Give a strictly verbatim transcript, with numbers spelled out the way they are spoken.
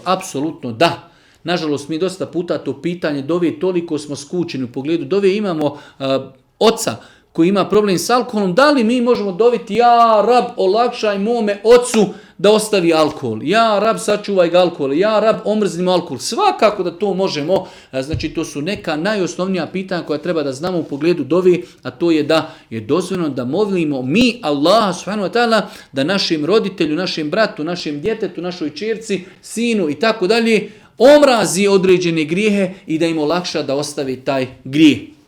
Apsolutno da. Nažalost, mi dosta puta to pitanje dove, toliko smo skučeni u pogledu dove, imamo uh, oca koji ima problem s alkoholom, da li mi možemo doviti, ja rab olakšaj mome ocu da ostavi alkohol, ja rab sačuvaj ga alkohol, ja rab omrznimo alkohol, svakako da to možemo, znači to su neka najosnovnija pitanja koja treba da znamo u pogledu dovi, a to je da je dozvoljeno da molimo mi Allaha subhanahu wa ta'ala da našem roditelju, našem bratu, našem djetetu, našoj ćerci, sinu i tako dalje omrazi određene grijehe i da im olakša da ostavi taj grijeh.